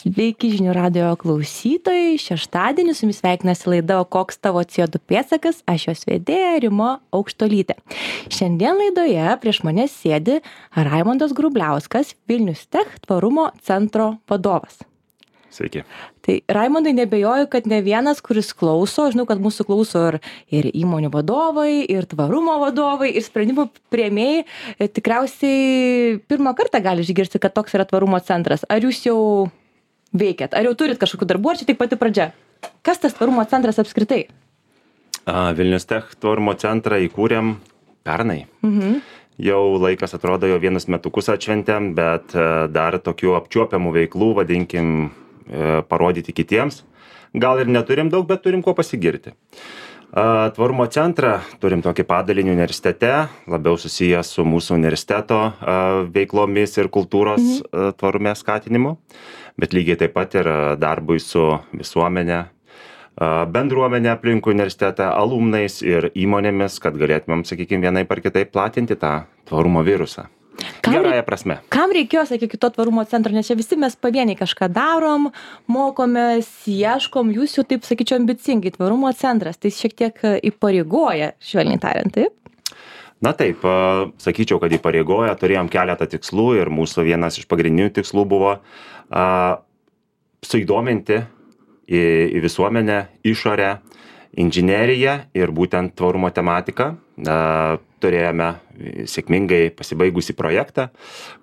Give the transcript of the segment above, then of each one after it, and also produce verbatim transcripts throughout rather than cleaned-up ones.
Sveiki žinių radijo klausytojai, šeštadienį su jumis sveikinasi laida O koks tavo C O du pėdsakas, aš jos vedėja Rima Aukštuolytė. Šiandien laidoje prieš mane sėdi Raimondas Grubliauskas, Vilnius Tech tvarumo centro vadovas. Sveiki. Tai Raimondai, nebejoju, kad ne vienas, kuris klauso, žinau, kad mūsų klauso ir, ir įmonių vadovai, ir tvarumo vadovai, ir sprendimų priėmėjai, tikriausiai pirmą kartą gali išgirsti, kad toks yra tvarumo centras. Ar jūs jau veikiat? Ar jau turit kažkokių darbų, ar čia tik pati pradžia? Kas tas tvarumo centras apskritai? A, Vilnius Tech tvarumo centrą įkūrėm pernai. Mhm. Jau laikas atrodo, jau vienus metukus atšventėm, bet dar tokių apčiuopiamų veiklų, vadinkim, parodyti kitiems. Gal ir neturim daug, bet turim kuo pasigirti. A, tvarumo centrą turim tokį padalinį universitete, labiau susijęs su mūsų universiteto a, veiklomis ir kultūros mhm. tvarume skatinimu, bet lygiai taip pat ir darbui su visuomenė, bendruomenė aplinkui universitetą, alumnais ir įmonėmis, kad galėtumėm, sakykime, vienaip ar kitaip platinti tą tvarumo virusą. Kam, Gerąja prasme. Kam reikėjo, sakykime, to tvarumo centro, nes čia visi mes pavieniai kažką darom, mokomės, ieškom, jūs jau taip, sakyčiau, ambicingai tvarumo centras, tai šiek tiek įpareigoja, švelniai tariant, taip? Na taip, sakyčiau, kad įpareigoja, turėjom keletą tikslų ir mūsų vienas iš pagrindinių tikslų buvo a, suįdominti į, į visuomenę, išorę, inžineriją ir būtent tvarumo tematiką. A, turėjome sėkmingai pasibaigusį projektą,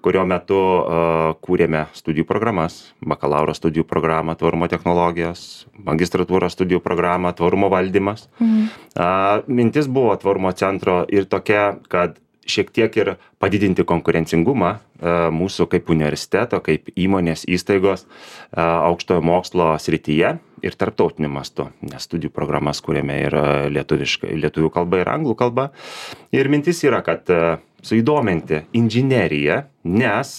kurio metu a, kūrėme studijų programas, bakalauro studijų programą tvarumo technologijos, magistratūros studijų programą tvarumo valdymas. Mhm. A, mintis buvo tvarumo centro ir tokia, kad šiek tiek ir padidinti konkurencingumą a, mūsų kaip universiteto, kaip įmonės įstaigos a, aukštojo mokslo srityje ir tarptautiniu mastu, nes studijų programas kūrėme ir lietuviškai, lietuvių kalba ir anglų kalba. Ir mintis yra, kad a, suįdominti inžineriją, nes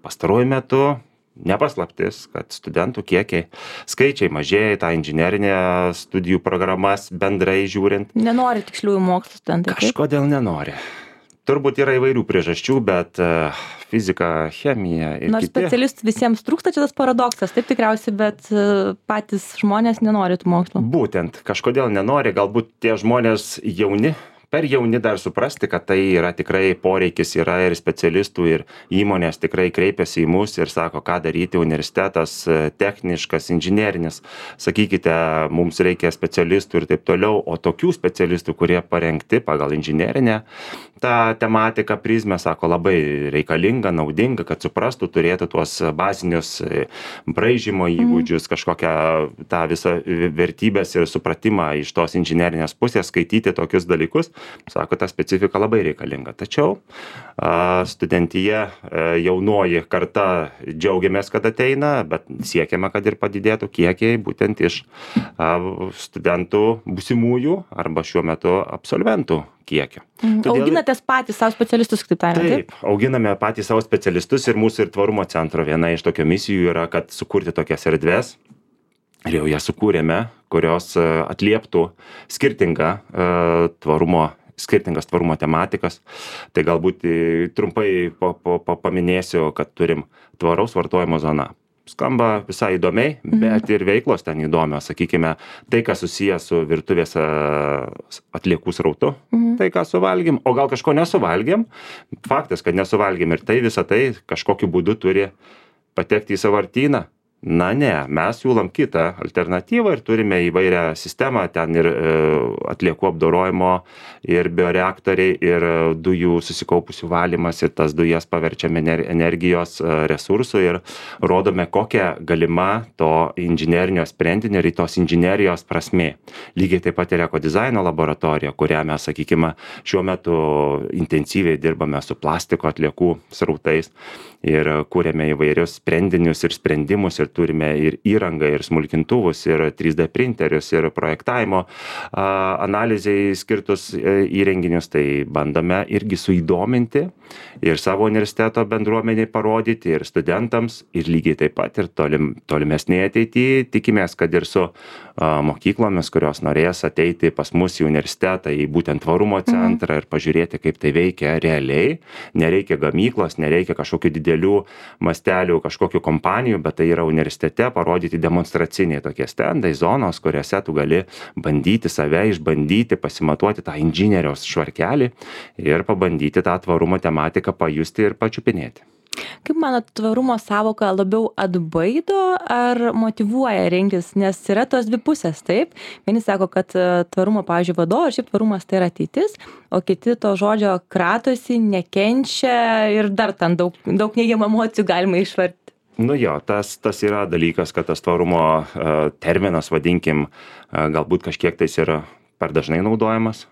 pastaruoju metu nepaslaptis, kad studentų kiekiai, skaičiai mažėja, tą inžinerinę studijų programas bendrai žiūrint. Nenori tiksliųjų mokslų studentai. Kažkodėl nenori. Turbūt yra įvairių priežasčių, bet uh, fizika, chemija ir Nors kiti. specialistų visiems trūksta, čia tas paradoksas, taip tikriausiai, bet uh, patys žmonės nenori tų mokslų. Būtent, kažkodėl nenori, galbūt tie žmonės jauni, per jauni dar suprasti, kad tai yra tikrai poreikis, yra ir specialistų, ir įmonės tikrai kreipiasi į mus ir sako, ką daryti, universitetas, techniškas, inžinerinis, sakykite, mums reikia specialistų ir taip toliau, o tokių specialistų, kurie parengti pagal inžinerinę, tą tematiką prizmę, sako, labai reikalinga, naudinga, kad suprastų, turėtų tuos bazinius braižymo įgūdžius, kažkokią tą visą vertybės ir supratimą iš tos inžinerinės pusės, skaityti tokius dalykus. Sako, ta specifika labai reikalinga. Tačiau a, studentyje a, jaunoji karta džiaugiamės, kad ateina, bet siekiame, kad ir padidėtų kiekiai būtent iš a, studentų būsimųjų arba šiuo metu absolventų kiekio. Mhm. Todėl... Auginatės patys savo specialistus, kaip tariant, taip? Taip, auginame patys savo specialistus ir mūsų ir tvarumo centro viena iš tokio misijų yra, kad sukurti tokias erdves. Ir jau ją sukūrėme, kurios atlieptų skirtingą uh, tvarumo, skirtingas tvarumo tematikas. Tai galbūt trumpai pa, pa, pa, paminėsiu, kad turim tvaraus vartojimo zoną. Skamba visai įdomiai, mhm. bet ir veiklos ten įdomios. Sakykime, tai, kas susijęs su virtuvės atliekų srautu, mhm. tai, ką suvalgėm, o gal kažko nesuvalgėm. Faktas, kad nesuvalgėm ir tai visą tai kažkokiu būdu turi patekti į sąvartyną. Na ne, mes siūlom kitą alternatyvą ir turime įvairią sistemą, ten ir e, atliekų apdorojimo, ir bioreaktoriai, ir dujų susikaupusių valymas, ir tas dujas paverčiame energijos resursų ir rodome, kokia galima to inžinerinio sprendinio ir tos inžinerijos prasmė. Lygiai taip pat ir ekodizaino laboratorija, kurią mes, sakykime, šiuo metu intensyviai dirbame su plastiko atliekų srautais ir kūrėme įvairius sprendinius ir sprendimus ir turime ir įrangą, ir smulkintuvus, ir trys D printerius, ir projektavimo a, analizai skirtus įrenginius, tai bandome irgi suįdominti ir savo universiteto bendruomeniai parodyti, ir studentams, ir lygiai taip pat ir tolim, tolimesnėje ateityje tikimės, kad ir su a, mokyklomis, kurios norės ateiti pas mus į universitetą, į būtent tvarumo centrą mhm. ir pažiūrėti, kaip tai veikia realiai. Nereikia gamyklos, nereikia kažkokių didelių mastelių, kažkokių kompanijų, bet tai yra universitetas universitete parodyti demonstraciniai tokie stendai, zonos, kuriuose tu gali bandyti save, išbandyti, pasimatuoti tą inžinieriaus švarkelį ir pabandyti tą tvarumo tematiką pajusti ir pačiupinėti. Kaip manot, tvarumo sąvoka labiau atbaido ar motyvuoja rinktis, nes yra tos dvi pusės, taip? Vieni sako, kad tvarumo, pavyzdžiui, vadovas, šiaip tvarumas tai yra ateitis, o kiti to žodžio kratosi, nekenčia ir dar ten daug, daug neigiamų emocijų galima išvarti. Nu jo, tas, tas yra dalykas, kad tas tvarumo uh, terminas, vadinkim, uh, galbūt kažkiek tais yra per dažnai naudojamas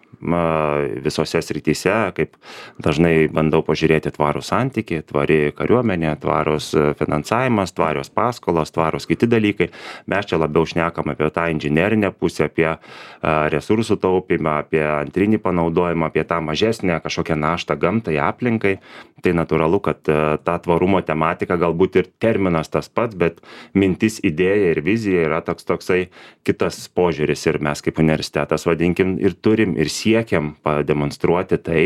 visose srityse, kaip dažnai bandau pažiūrėti tvarų santykį, tvari kariuomenė, tvarus finansavimas, tvarios paskolos, tvarus kiti dalykai. Mes čia labiau šnekam apie tą inžinerinę pusę, apie resursų taupymą, apie antrinį panaudojimą, apie tą mažesnę kažkokią naštą gamtai, aplinkai. Tai natūralu, kad ta tvarumo tematika galbūt ir terminas tas pats, bet mintis, idėja ir vizija yra toks toksai kitas požiūris ir mes kaip universitetas, vadinkim, ir turim ir siekiam pademonstruoti tai,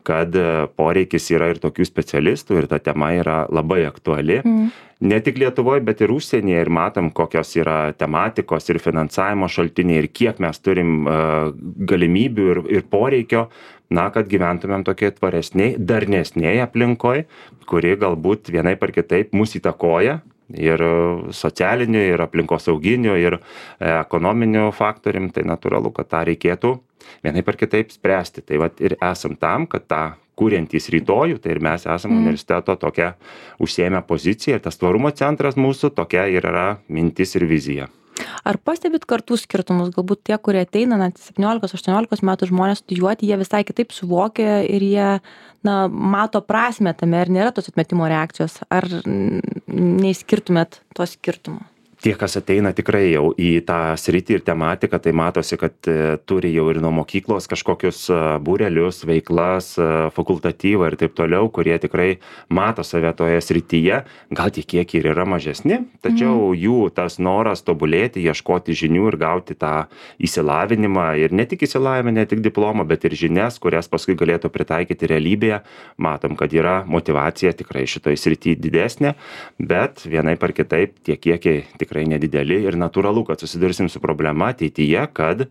kad poreikis yra ir tokių specialistų ir ta tema yra labai aktuali. Mm. Ne tik Lietuvoje, bet ir užsienyje ir matom, kokios yra tematikos ir finansavimo šaltiniai ir kiek mes turim uh, galimybių ir, ir poreikio, na, kad gyventumėm tokie tvaresniai, darnesniai aplinkoj, kuri galbūt vienaip ar kitaip mus įtakoja ir socialiniu, ir aplinkosauginiu, ir ekonominiu faktorium, tai natūralu, kad tą reikėtų vienaip ar kitaip spręsti. Tai vat ir esam tam, kad tą kuriantys rytojų, tai ir mes esam mm. universiteto tokia užsiėmę poziciją ir tas tvarumo centras mūsų tokia ir yra mintis ir vizija. Ar pastebit kartų skirtumus? Galbūt tie, kurie ateina net septyniolikos aštuoniolikos metų žmonės studijuoti, jie visai kitaip suvokia ir jie na, mato prasmę tame ir nėra tos atmetimo reakcijos. Ar neišskirtumėt to skirtumo? Tie, kas ateina tikrai jau į tą sritį ir tematiką, tai matosi, kad turi jau ir nuo mokyklos kažkokius būrelius, veiklas, fakultatyvą ir taip toliau, kurie tikrai mato save toje srityje, gal tie kiekiai ir yra mažesni, tačiau mm. jų tas noras tobulėti, ieškoti žinių ir gauti tą įsilavinimą ir ne tik įsilavinimą, ne tik diplomą, bet ir žinias, kurias paskui galėtų pritaikyti realybėje. Matom, kad yra motyvacija tikrai šitoj srityje didesnė, bet vienaip ar kitaip tie kiekiai tikrai tikrai nedideli ir natūralu, kad susidursim su problema ateityje, kad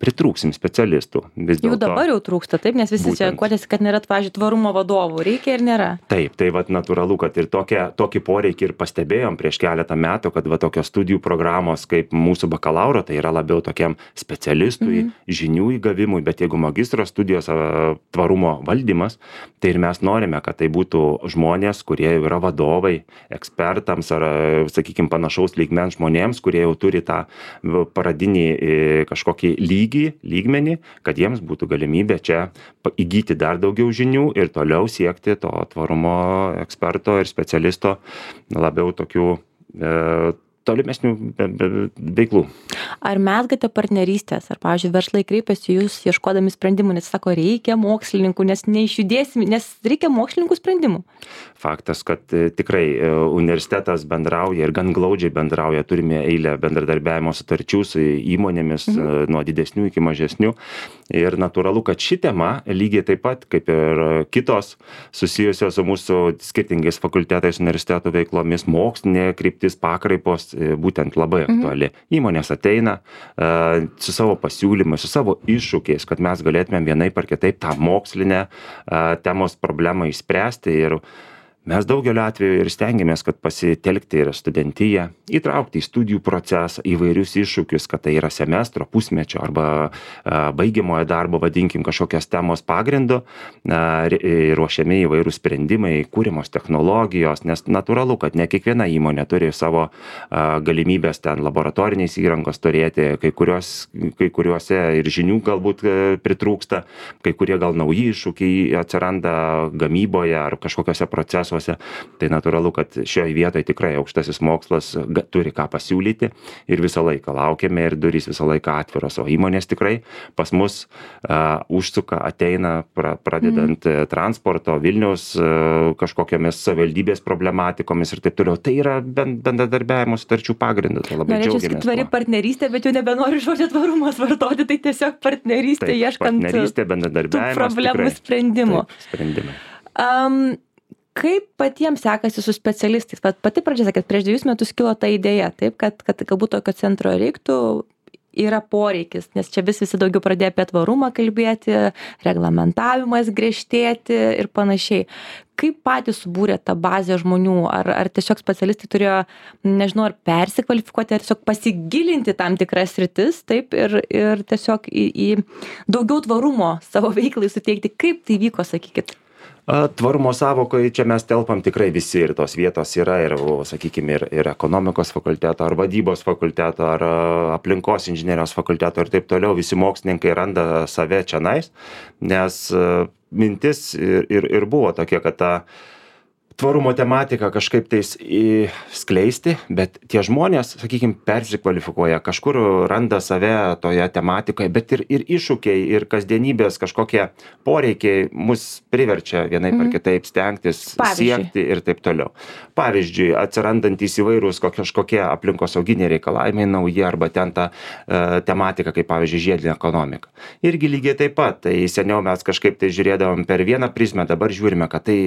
pritrūksim specialistų. Vis Jų dabar jau trūksta, taip, nes visi būtent čia kodėsi, kad nėra, pavyzdžiui, tvarumo vadovų. Reikia ir nėra. Taip, tai vat natūralu, kad ir tokia, tokį poreikį ir pastebėjom prieš keletą metų, kad va tokios studijų programos kaip mūsų bakalauro, tai yra labiau tokiam specialistui, mm-hmm. žinių įgavimui, bet jeigu magistro studijos tvarumo valdymas, tai ir mes norime, kad tai būtų žmonės, kurie jau yra vadovai, ekspertams ar, sakykime, panašaus lygmens žmonėms, kurie jau turi tą paradinį kažkokį lygį, lygmenį, kad jiems būtų galimybė čia įgyti dar daugiau žinių ir toliau siekti to tvarumo eksperto ir specialisto labiau tokių e, tolimesnių veiklų. Ar mezgate partnerystės? Ar, pavyzdžiui, verslai kreipiasi jūs ieškodami sprendimų, nes sako, reikia mokslininkų, nes neišjudėsim, nes reikia mokslininkų sprendimų? Faktas, kad tikrai universitetas bendrauja ir gan glaudžiai bendrauja, turime eilę bendradarbiavimo sutarčių su įmonėmis mhm. nuo didesnių iki mažesnių. Ir natūralu, kad ši tema lygiai taip pat, kaip ir kitos susijusios su mūsų skirtingais fakultetais, universitetų veiklomis, mokslinė kryptis, pakraipos, būtent labai aktuali. Mhm. Įmonės ateina uh, su savo pasiūlymais, su savo iššūkiais, kad mes galėtumėm vienaip ar kitaip tą mokslinę uh, temos problemą išspręsti ir mes daugeliu atveju ir stengiamės, kad pasitelkti ir studentiją, įtraukti į studijų procesą įvairius iššūkius, kad tai yra semestro, pusmečio arba a, baigiamojo darbo, vadinkim, kažkokios temos pagrindu, a, ruošiami įvairūs sprendimai, kūrimos technologijos, nes natūralu, kad ne kiekviena įmonė turi savo a, galimybės ten laboratoriniais įrangos turėti, kai, kurios, kai kuriuose ir žinių galbūt a, pritrūksta, kai kurie gal nauji iššūkiai atsiranda gamyboje ar kažkokiuose procesuose. Tai natūralu, kad šioje vietoje tikrai aukštasis mokslas turi ką pasiūlyti ir visą laiką laukiame ir durys visą laiką atviros, o įmonės tikrai pas mus uh, užsuka, ateina pra, pradedant mm. transporto, Vilniaus uh, kažkokiamis savivaldybės problematikomis ir taip toliau. Tai yra bendradarbiavimo sutarčių pagrindas. Tai labai Norėčiau džiaugiamės. Tvari partnerystė, bet jau nebenoriu žodžio tvarumas vartoti, tai tiesiog partnerystė, taip, ieškant partnerystė, tų problemų tikrai, sprendimų. taip, sprendimai. Um, kaip patiems sekasi su specialistais? Vat pati pradžia sakėt, prieš dviejus metus kilo ta idėja, taip, kad, kad galbūt tokio centro reiktų, yra poreikis, nes čia vis visi daugiau pradėjo apie tvarumą kalbėti, reglamentavimas griežtėti ir panašiai. Kaip patys subūrė tą bazę žmonių? Ar, ar tiesiog specialistai turėjo, nežinau, ar persikvalifikuoti, ar tiesiog pasigilinti tam tikras sritis, taip, ir, ir tiesiog į, į daugiau tvarumo savo veiklai suteikti? Kaip tai vyko, sakykit? Tvarumo savokoje čia mes telpam tikrai visi ir tos vietos yra ir, sakykime, ir, ir ekonomikos fakulteto, ar vadybos fakulteto, ar aplinkos inžinerijos fakulteto ir taip toliau. Visi mokslininkai randa save čionais, nes mintis ir, ir, ir buvo tokia, kad ta tvarumo tematiką kažkaip tais skleisti, bet tie žmonės, sakykime, persikvalifikuoja, kažkur randa save toje tematikoje, bet ir, ir iššūkiai, ir kasdienybės kažkokie poreikiai mus priverčia vienaip ar kitaip stengtis, Pavyzdžiui. siekti ir taip toliau. Pavyzdžiui, atsirandantys įvairūs kažkokie aplinkosauginiai reikalavimai nauji arba ten ta e, tematika, kaip pavyzdžiui, žiedinė ekonomika. Irgi lygiai taip pat, tai seniau mes kažkaip tai žiūrėdavom per vieną prizmę, dabar žiūrime, kad tai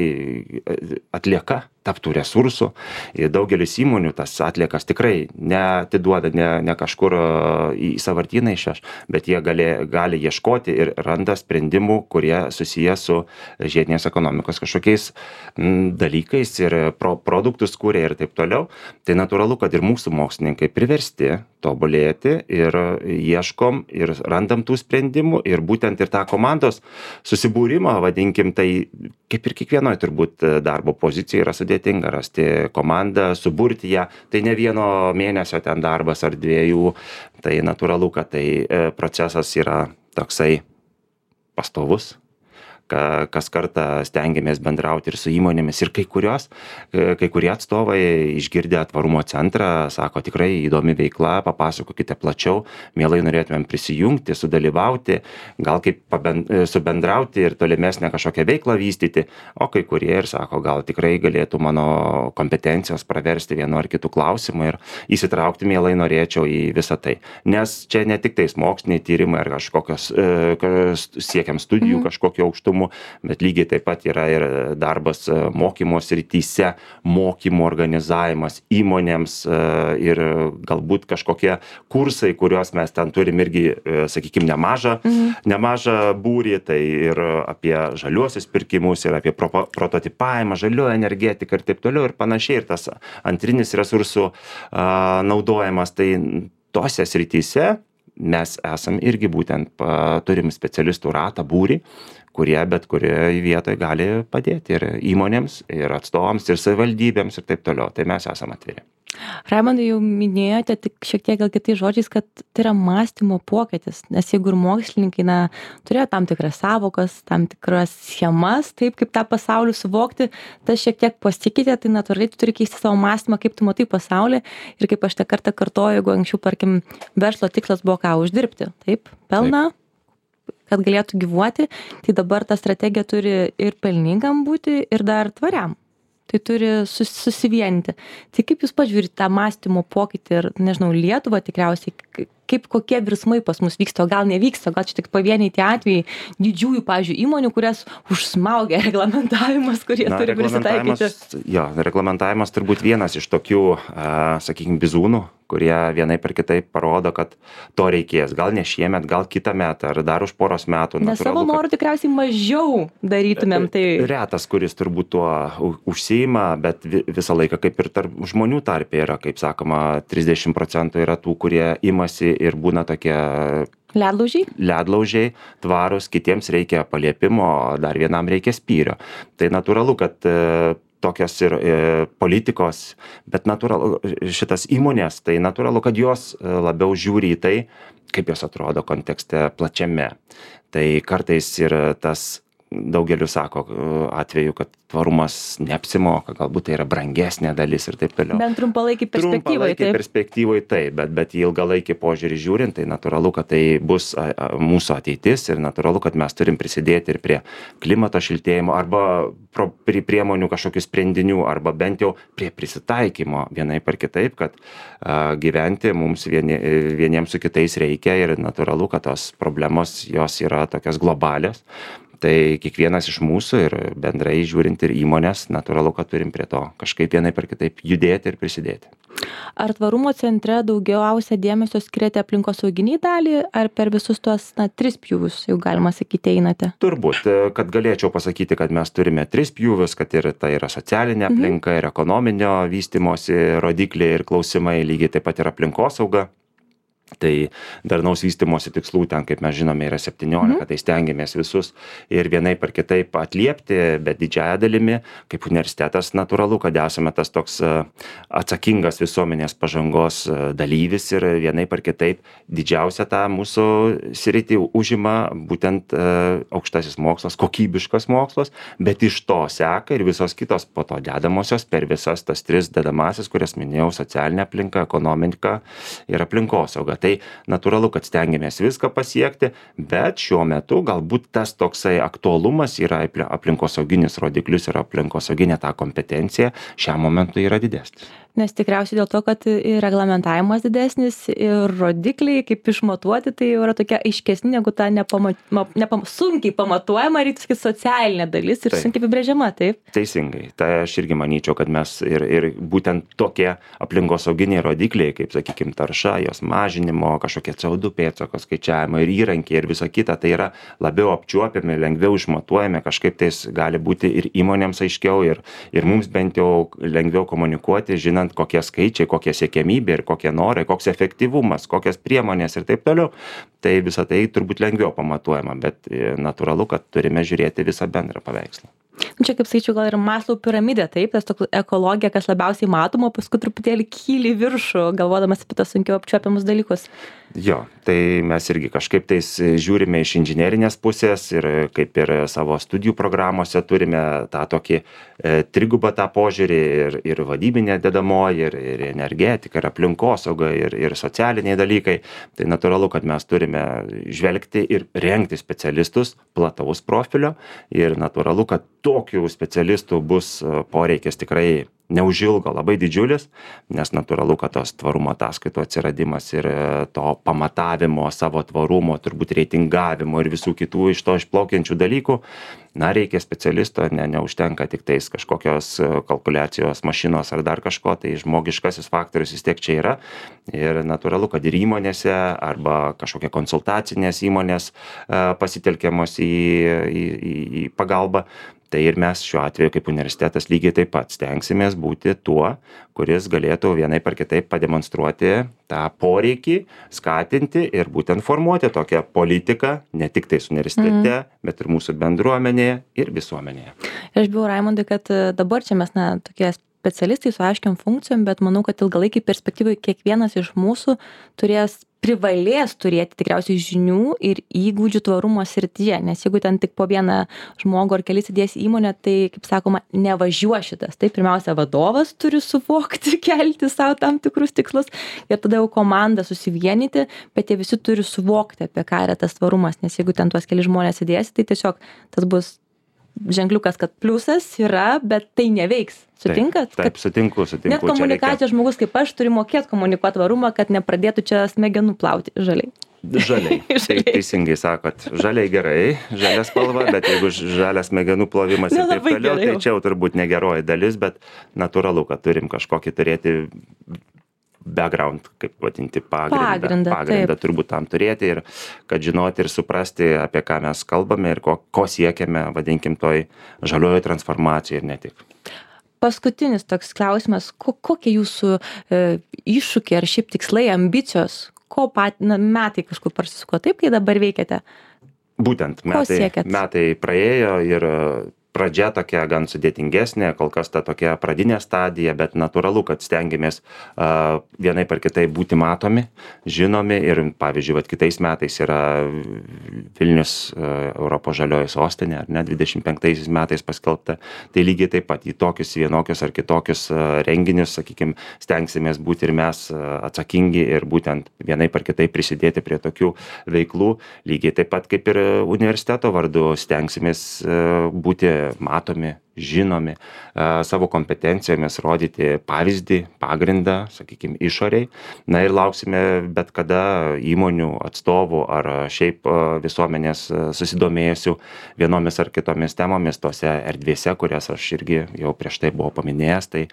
atlieka taptų resursų. Daugelis įmonių tas atliekas tikrai neatiduoda, ne, ne kažkur į sąvartyną išveš, bet jie gali, gali ieškoti ir randa sprendimų, kurie susiję su žiedinės ekonomikos kažkokiais m, dalykais ir pro, produktus kūrė ir taip toliau. Tai natūralu, kad ir mūsų mokslininkai priversti tobulėti ir ieškom ir randam tų sprendimų ir būtent ir tą komandos susibūrimą, vadinkim, tai kaip ir kiekvienoje turbūt darbo pozicija yra sudėtinga rasti komandą, suburti ją, tai ne vieno mėnesio ten darbas ar dviejų, tai natūralu, kad tai procesas yra toksai pastovus, kas kartą stengiamės bendrauti ir su įmonėmis ir kai kurios, kai kurie atstovai išgirdę tvarumo centrą, sako tikrai įdomi veikla, papasakokite plačiau, mielai norėtumėm prisijungti, sudalyvauti, gal kaip pabend, subendrauti ir tolimesnę kažkokią veiklą vystyti, o kai kurie ir sako, gal tikrai galėtų mano kompetencijos praversti vienu ar kitu klausimu ir įsitraukti mielai norėčiau į visą tai. Nes čia ne tik tais moksliniai tyrimai ar kažkokios, siekiam studijų mm. kažkokio aukštumo, bet lygiai taip pat yra ir darbas mokymo srityse, mokymų organizavimas įmonėms ir galbūt kažkokie kursai, kuriuos mes ten turim irgi, sakykime, nemažą, mhm. nemažą būrį, tai ir apie žaliuosius pirkimus, ir apie pro, prototipavimą, žaliuoją energetiką ir taip toliau ir panašiai, ir tas antrinis resursų a, naudojimas, tai tose srityse mes esam irgi būtent, pa, turim specialistų ratą, būrį, kurie bet kurioje vietoje gali padėti ir įmonėms, ir atstovams, ir savivaldybėms ir taip toliau. Tai mes esam atviri. Raimondai, jau minėjote, tik šiek tiek gal kitais žodžiais, kad tai yra mąstymo pokytis, nes jeigu ir mokslininkai na, turėjo tam tikras savokas, tam tikras schemas, taip kaip tą pasaulį suvokti, tas šiek tiek pasikeitė, tai natūraliai tu turi keisti savo mąstymą, kaip tu matai pasaulį ir kaip aš tą kartą kartoju, jeigu anksčiau, tarkim, verslo tikslas buvo ką uždirbti, taip, pelną. Taip. Kad galėtų gyvuoti, tai dabar ta strategija turi ir pelningam būti, ir dar tvariam. Tai turi sus, susivienyti. Tai kaip jūs pažiūrite tą mąstymo pokytį ir, nežinau, Lietuvą tikriausiai, kaip kokie virsmai pas mus vyksta, o gal nevyksta, gal čia tik pavieniai tie atvejai didžiųjų, pavyzdžiui, įmonių, kurias užsmaugia reglamentavimas, kurie Na, turi prisitaikyti. Jo, reglamentavimas turbūt vienas iš tokių, sakykime, bizūnų, kurie vienaip ir kitaip parodo, kad to reikės. Gal ne šiemet, gal kitą metą, ar dar už poros metų. Nes savo norų kad... tikriausiai mažiau darytumėm. Tai... Retas, kuris turbūt tuo užsiima, bet visą laiką kaip ir tarp žmonių tarpe yra, kaip sakoma, trisdešimt procentų yra tų, kurie imasi ir būna tokie ledlaužiai, ledlaužiai tvarus, kitiems reikia paliepimo, dar vienam reikia spyrio. Tai natūralu, kad tokios ir e, politikos, bet natūralu, šitas įmonės, tai natūralu, kad jos labiau žiūri į tai, kaip jos atrodo kontekste plačiame. Tai kartais ir tas daugeliu sako atveju, kad tvarumas neapsimoka, galbūt tai yra brangesnė dalis ir taip toliau. Bent trumpalaikį perspektyvai. Trumpalaikį perspektyvai taip, bet, bet į ilgalaikį požiūrį žiūrint, tai natūralu, kad tai bus a, a, mūsų ateitis ir natūralu, kad mes turim prisidėti ir prie klimato šiltėjimo arba pro, prie priemonių kažkokių sprendinių arba bent jau prie prisitaikymo vienaip ar kitaip, kad a, gyventi mums vieni, vieniems su kitais reikia ir natūralu, kad tos problemos jos yra tokios globalios. Tai kiekvienas iš mūsų ir bendrai žiūrint ir įmonės, natūralu, kad turim prie to kažkaip vienaip ar kitaip judėti ir prisidėti. Ar tvarumo centre daugiausia dėmesio skiriate aplinkosauginiai dalį, ar per visus tuos, na, tris pjūvius, jau galima sakyti, einate? Turbūt, kad galėčiau pasakyti, kad mes turime tris pjūvius, kad ir tai yra socialinė aplinka, mhm. ir ekonominio vystymosi rodikliai ir klausimai, lygiai taip pat ir aplinkosauga. Tai darnaus vystymosi tikslų ten, kaip mes žinome, yra septyniolika, mhm. tai stengiamės visus ir vienaip ar kitaip atliepti, bet didžiąją dalimi, kaip universitetas, natūralu, kad esame tas toks atsakingas visuomenės pažangos dalyvis ir vienaip ar kitaip didžiausia tą mūsų sritį užima būtent aukštasis mokslas, kokybiškas mokslas, bet iš to seka ir visos kitos po to dedamosios per visas tas tris dedamasis, kurias minėjau, socialinė aplinka, ekonomika ir aplinkosauga. Tai natūralu, kad stengiamės viską pasiekti, bet šiuo metu galbūt tas toksai aktualumas yra aplinkosauginis rodiklius ir aplinkosauginė ta kompetencija šiam momentui yra didesnis. Nes tikriausiai dėl to, kad ir reglamentavimas didesnis ir rodikliai, kaip išmatuoti, tai jau yra tokia aiškesnė negu ta nepama, nepam, sunkiai pamatuojama, reikia sakyti, socialinė dalis ir taip. Sunkiai apibrėžiama, taip? Teisingai. Tai aš irgi manyčiau, kad mes ir, ir būtent tokie aplinkosauginiai rodikliai, kaip, sakykime, tarša, jos mažinimo, kažkokie C O du pėdsako skaičiavimo ir įrankiai ir visa kita, tai yra labiau apčiuopiami, lengviau išmatuojami, kažkaip tais gali būti ir įmonėms aiškiau ir, ir mums bent jau lengviau komunikuoti, žinant, kokie skaičiai, kokie siekiamybė ir kokie norai, koks efektyvumas, kokias priemonės ir taip toliau. Tai visą tai turbūt lengviau pamatuojama, bet natūralu, kad turime žiūrėti visą bendrą paveikslą. Čia, kaip sakyčiau, gal ir Maslow piramidė, taip, tas toks ekologija, kas labiausiai matoma, paskui truputėlį kyli viršų, galvodamas apie tas sunkiau apčiuopiamus dalykus. Jo, tai mes irgi kažkaip tais žiūrime iš inžinerinės pusės ir kaip ir savo studijų programuose turime tą tokį e, trigubą tą požiūrį ir, ir vadybinė dedamoji, ir, ir energetika, ir aplinkosauga, ir, ir socialiniai dalykai. Tai natūralu, kad mes turime žvelgti ir rengti specialistus plataus profilio ir natūralu, kad tokių specialistų bus poreikis tikrai neužilgo labai didžiulis, nes natūralu, kad tos tvarumo ataskaitų atsiradimas ir to pamatavimo savo tvarumo, turbūt reitingavimo ir visų kitų iš to išplaukiančių dalykų, na, reikia specialisto, ne, neužtenka tik tais kažkokios kalkuliacijos mašinos ar dar kažko, tai žmogiškasis faktorius vis tiek čia yra ir natūralu, kad ir įmonėse arba kažkokie konsultacinės įmonės pasitelkiamos į, į, į, į pagalbą. Tai ir mes šiuo atveju kaip universitetas lygiai taip pat stengsimės būti tuo, kuris galėtų vienaip ar kitaip pademonstruoti tą poreikį, skatinti ir būtent formuoti tokią politiką, ne tik tais universitete, mm. bet ir mūsų bendruomenėje ir visuomenėje. Aš bijau, Raimondai, kad dabar čia mes, na, tokie specialistai su aiškiam funkcijom, bet manau, kad ilgalaikiai perspektyvai kiekvienas iš mūsų turės privalės turėti tikriausiai žinių ir įgūdžių tvarumo srityje, nes jeigu ten tik po vieną žmogų ar kelis įdėsi įmonę, tai, kaip sakoma, nevažiuos šitas. Tai pirmiausia, vadovas turi suvokti, kelti savo tam tikrus tikslus ir tada jau komanda susivienyti, bet jie visi turi suvokti, apie ką yra tas tvarumas, nes jeigu ten tuos keli žmonės įdėsi, tai tiesiog tas bus ženkliukas, kad pliusas yra, bet tai neveiks. Sutinkat? Taip, taip, sutinku, sutinku. Net komunikacijos reikia... žmogus kaip aš turi mokėti komunikuoti tvarumą, kad nepradėtų čia smegenų plauti žaliai. Žaliai. Tai teisingai sakot, žaliai gerai, žalia spalva, bet jeigu žalias smegenų plovimas ir taip toliau, tai čia jau turbūt negeroji dalis, bet natūralu, kad turim kažkokį turėti background, kaip vadinti, pagrindą, pagrindą, pagrindą turbūt tam turėti ir kad žinoti ir suprasti, apie ką mes kalbame ir ko, ko siekiame, vadinkim, toj žaliojo transformacijai ir ne tik. Paskutinis toks klausimas, ko, kokie jūsų e, iššūkiai ar šiaip tikslai, ambicijos, ko pat, na, metai kažkur prasisuko taip, kai dabar veikiate? Būtent, metai, metai praėjo ir pradžia tokia gan sudėtingesnė, kol kas ta tokia pradinė stadija, bet natūralu, kad stengiamės uh, vienaip ar kitaip būti matomi, žinomi ir, pavyzdžiui, vat, kitais metais yra Vilnius uh, Europos žalioji sostinė, ar ne, dvidešimt penktaisiais metais paskelbta, tai lygiai taip pat į tokius vienokius ar kitokius uh, renginius, sakykime, stengsimės būti ir mes uh, atsakingi ir būtent vienaip ar kitaip prisidėti prie tokių veiklų, lygiai taip pat kaip ir universiteto vardu stengsimės uh, būti matomi žinomi, savo kompetencijomis rodyti pavyzdį, pagrindą, sakykime, išoriai. Na ir lauksime bet kada įmonių atstovų ar šiaip visuomenės susidomėjusių vienomis ar kitomis temomis tose erdvėse, kurias aš irgi jau prieš tai buvau paminėjęs. Tai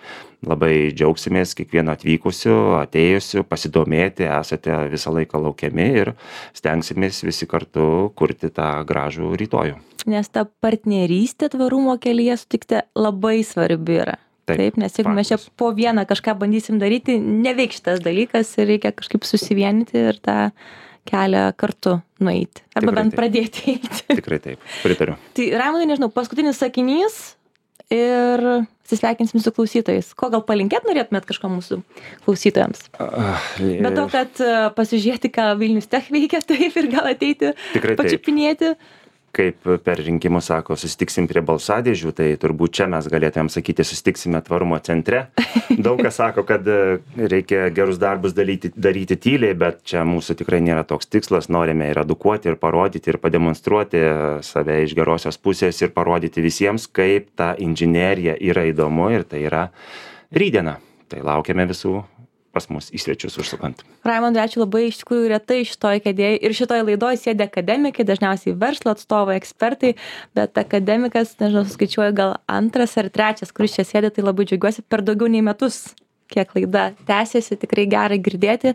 labai džiaugsimės kiekvieno atvykusiu, atėjusiu, pasidomėti, esate visą laiką laukiami ir stengsimės visi kartu kurti tą gražų rytojų. Nes ta partnerystė tvarumo kelyje, sutikti, labai svarbi yra. Taip, Taip nes jeigu faktas. Mes čia po vieną kažką bandysim daryti, neveiks šitas dalykas ir reikia kažkaip susivienyti ir tą kelią kartu nueiti. Arba Tikrai bent taip. Pradėti eiti. Tikrai taip, pritariu. Tai Raimondai, nežinau, paskutinis sakinys ir atsisveikinsim su klausytojais. Ko gal palinkėt norėtumėt kažko mūsų klausytojams? Uh, ir... Bet to, kad pasižiūrėti, ką Vilnius Tech veikia, taip ir gal ateiti pačiupinėti. Kaip per rinkimus sako, susitiksim prie balsadėžių, tai turbūt čia mes galėtumėm sakyti, susitiksime tvarumo centre. Daug kas sako, kad reikia gerus darbus daryti, daryti tyliai, bet čia mūsų tikrai nėra toks tikslas. Norime ir edukuoti, ir parodyti, ir pademonstruoti save iš gerosios pusės ir parodyti visiems, kaip ta inžinerija yra įdomu ir tai yra rytdiena. Tai laukiame visų pas mus į svečius užsukant. Raimondai, ačiū labai, iš tikrųjų retai šitoj kėdėje ir šitoj laidoj sėdi akademikai, dažniausiai verslo atstovai, ekspertai, bet akademikas, nežinau, skaičiuoju gal antras ar trečias, kuris čia sėdi, tai labai džiaugiuosi per daugiau nei metus, kiek laida tęsiasi, tikrai gerai girdėti,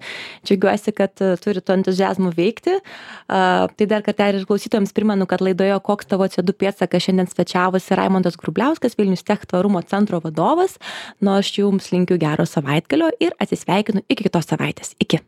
džiaugiuosi, kad uh, turi to entuziazmų veikti. Uh, tai dar kartą ir klausytojams primenu, kad laidoje Koks tavo C O du pėdsakas šiandien svečiavosi Raimondas Grubliauskas, Vilnius Tech tvarumo centro vadovas. Nu, aš jums linkiu gero savaitgalio ir atsisveikinu iki kitos savaitės. Iki.